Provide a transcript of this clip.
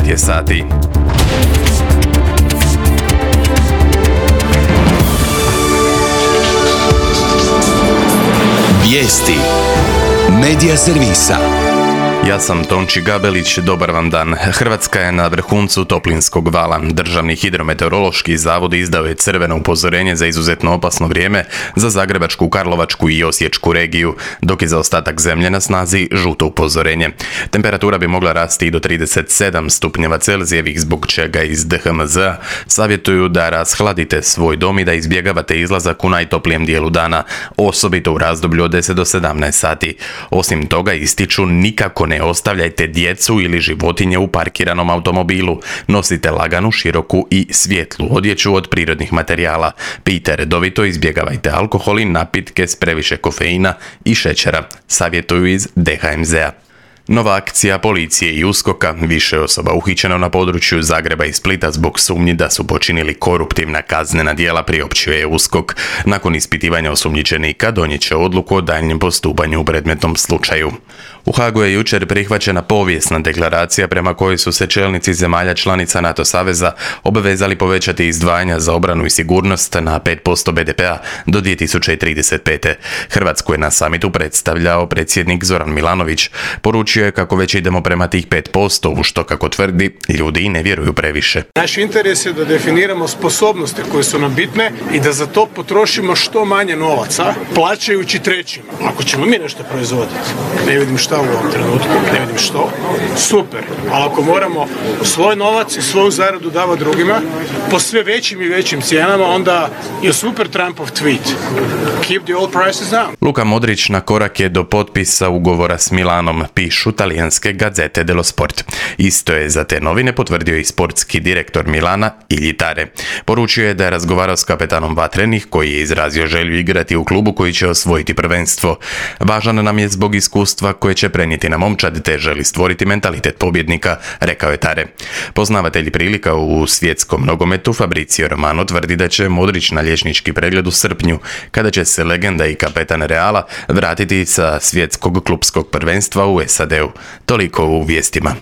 9 je sati. Vijesti Medija servisa. Ja sam Tonči Gabelić, dobar vam dan. Hrvatska je na vrhuncu toplinskog vala. Državni hidrometeorološki zavod izdao je crveno upozorenje za izuzetno opasno vrijeme za Zagrebačku, Karlovačku i Osječku regiju, dok je za ostatak zemlje na snazi žuto upozorenje. Temperatura bi mogla rasti i do 37 stupnjeva Celzijevih, zbog čega iz DHMZ-a savjetuju da rashladite svoj dom i da izbjegavate izlazak u najtoplijem dijelu dana, osobito u razdoblju od 10 do 17 sati. Osim toga, ističu nikako ne ostavljajte djecu ili životinje u parkiranom automobilu. Nosite laganu, široku i svjetlu odjeću od prirodnih materijala. Pijte redovito, izbjegavajte alkohol i napitke s previše kofeina i šećera, savjetuju iz DHMZ-a. Nova akcija policije i USKOK-a, više osoba uhićeno na području Zagreba i Splita zbog sumnji da su počinili koruptivna kaznena djela, priopćio je USKOK. Nakon ispitivanja osumnjičenika donijet će odluku o daljnjem postupanju u predmetnom slučaju. U Hagu je jučer prihvaćena povijesna deklaracija prema kojoj su se čelnici zemalja članica NATO saveza obvezali povećati izdvajanja za obranu i sigurnost na 5% BDP-a do 2035. Hrvatsku je na samitu predstavljao predsjednik Zoran Milanović. Poručio je kako već idemo prema tih 5%, u što, kako tvrdi, ljudi i ne vjeruju previše. Naš interes je da definiramo sposobnosti koje su nam bitne i da za to potrošimo što manje novaca, plaćajući trećima. Ako ćemo mi nešto proizvoditi, ne vidim šta u ovom trenutku, ne vidim što, super. Ali ako moramo svoj novac i svoju zaradu davati drugima po sve većim i većim cijenama, onda je super Trumpov tweet. Keep the oil prices down. Luka Modrić na korak je do potpisa ugovora s Milanom, pišu talijanske Gazzette dello Sport. Isto je za te novine potvrdio i sportski direktor Milana Iljitare. Poručio je da je razgovarao s kapetanom Vatrenih, koji je izrazio želju igrati u klubu koji će osvojiti prvenstvo. Važan nam je zbog iskustva koje će prenijeti na momčad, te želi stvoriti mentalitet pobjednika, rekao je Tare. Poznavatelj prilika u svjetskom nogometu Fabrizio Romano tvrdi da će Modrić na liječnički pregled u srpnju, kada će se legenda i kapetan Reala vratiti sa svjetskog klupskog prvenstva u SAD-u. Toliko u vijestima.